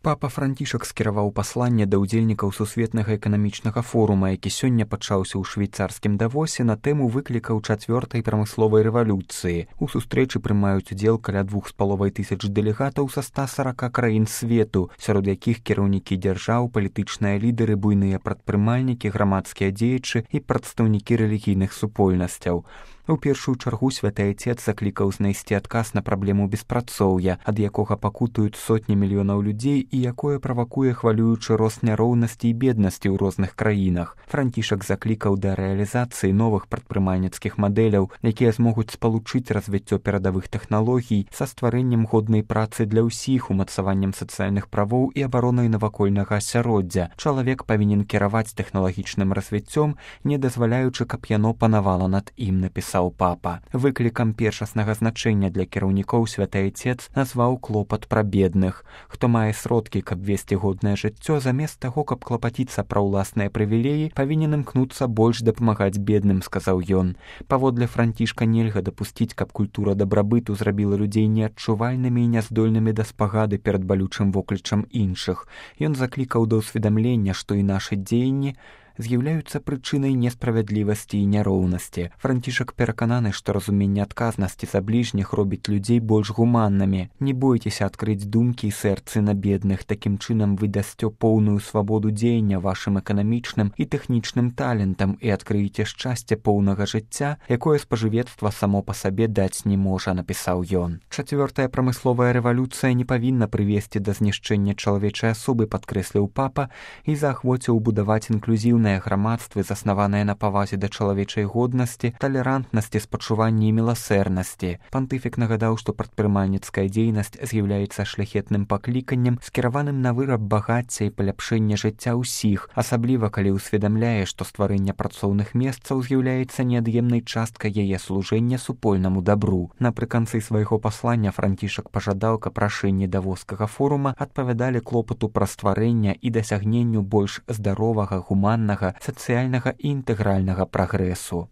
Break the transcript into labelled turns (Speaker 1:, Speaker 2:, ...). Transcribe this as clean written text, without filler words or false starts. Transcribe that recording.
Speaker 1: Папа Францішак скіраваў пасланне да ўдзельнікаў сусветнага эканамічнага форума, які сёння пачаўся ў швейцарскім Давосе на тэму выклікаў чацвёртай прамысловай рэвалюцыі. У сустрэчы прымаюць удзел каля 2500 дэлегатаў са 140 краін свету, сярод якіх кіраўнікі дзяржаў, палітычныя лідары, буйныя прадпрымальнікі, грамадскія дзеячы і прадстаўнікі рэлігійных супольнасцяў. У першую чаргу святы Отец заклікаў знайсці адказ на праблему беспрацоўя, ад якога пакутаюць сотні мільёнаў людзей і якое правакуе хвалюючы рост няроўнасці і беднасці ў розных краінах. Францішак заклікаў да рэалізацыі новых прадпрымальніцкіх мадэляў, якія змогуць спалучыць развіццё перадавых тэхналогій са стварэннем годнай працы для ўсіх, умацаваннем сацыяльных правоў і абаронай навакольнага асяроддзя. Чалавек павінен кіраваць тэхналагічным развіццём, не дазваляючы, каб яно панавала над ім, напісаў папа. Выклікам першаснага значэння для кіраўнікоў святы Отец назваў клопат пра бедных. Хто мае сродкі, каб весці годнае жыццё, замест таго, каб клапаціцца пра ўласныя прывілеі, павінен імкнуцца больш дапамагаць бедным, сказаў ён. Паводле Францішка нельга дапусціць, каб культура дабрабыту зрабіла людзей неадчувальнымі і няздольнымі да спагады перад балючым воклічам іншых. Ён заклікаў да ўсведамлення, што і нашы дзеянні з'яўляюцца прычынай несправядлівасці і няроўнасці. Францішак перакананы, што разуменне адказнасці за бліжніх робіць людзей больш гуманнымі. Не бойцеся адкрыць думкі і сэрцы на бедных. Такім чынам вы дасце поўную свабоду дзеяння вашым эканамічным і тэхнічным талентам і адкрыеце шчасце поўнага жыцця, якое спажывецтва само па сабе даць не можа, напісаў ён. Чацвёртая прамысловая рэвалюцыя не павінна прывесці да знішчэння чалавечай асобы, падкрэсліў папа, і заахвоціў будаваць інклюзіўнае грамадствы, заснаванае на павазе да чалавечай годнасці, талерантнасці, спачуванні і міласэрнасці. Пантыфік нагадаў, што прадпрымальніцкая дзейнасць з'яўляецца шляхетным пакліканнем, скіраваным на выраб багацця і паляпшэнне жыцця ўсіх, асабліва калі ўсведамляе, што стварэнне працоўных месцаў з'яўляецца неад'емнай часткай яе служэння супольнаму дабру. Напрыканцы свайго паслання Францішак пажадаў, каб рашэнні Давоскага форума адпавядалі клопату пра стварэнне і дасягненню больш здаровага, гуманнага, сацыяльнага і інтэгральнага прагрэсу.